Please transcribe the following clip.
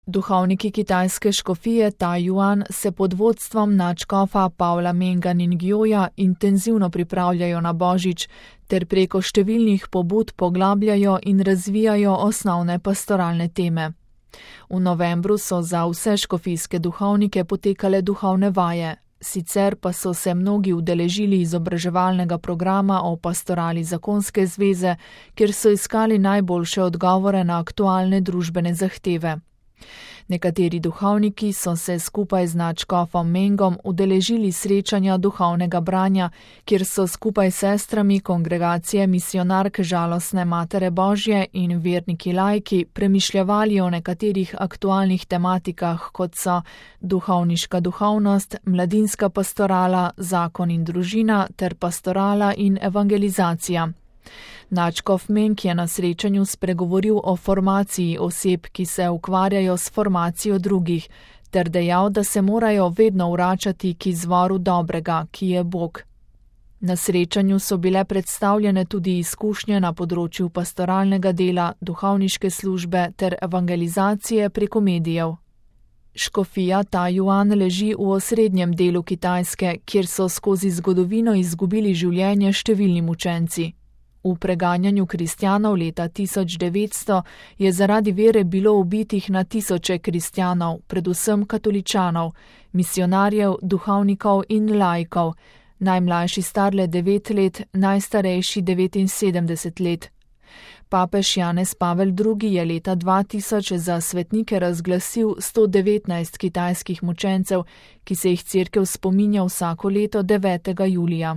Duhovniki kitajske škofije Taiyuan se pod vodstvom nadškofa Pavla Menga Ningjoja intenzivno pripravljajo na Božič ter preko številnih pobud poglabljajo in razvijajo osnovne pastoralne teme. V novembru so za vse škofijske duhovnike potekale duhovne vaje, sicer pa so se mnogi udeležili izobraževalnega programa o pastorali zakonske zveze, kjer so iskali najboljše odgovore na aktualne družbene zahteve. Nekateri duhovniki so se skupaj z nadškofom Mengom udeležili srečanja duhovnega branja, kjer so skupaj s sestrami kongregacije Misionark Žalostne Matere Božje in verniki laiki premišljevali o nekaterih aktualnih tematikah, kot so duhovniška duhovnost, mladinska pastorala, zakon in družina ter pastorala in evangelizacija. Nadškof Meng je na srečanju spregovoril o formaciji oseb, ki se ukvarjajo s formacijo drugih, ter dejal, da se morajo vedno vračati k izvoru dobrega, ki je Bog. Na srečanju so bile predstavljene tudi izkušnje na področju pastoralnega dela, duhovniške službe ter evangelizacije preko medijev. Škofija Taiyuan leži v osrednjem delu Kitajske, kjer so skozi zgodovino izgubili življenje številni mučenci. V preganjanju kristjanov leta 1900 je zaradi vere bilo ubitih na tisoče kristjanov, predvsem katoličanov, misionarjev, duhovnikov in laikov, najmlajši star le 9 let, najstarejši 79 let. Papež Janez Pavel II. Je leta 2000 za svetnike razglasil 119 kitajskih mučencev, ki se jih cerkev spominja vsako leto 9. julija.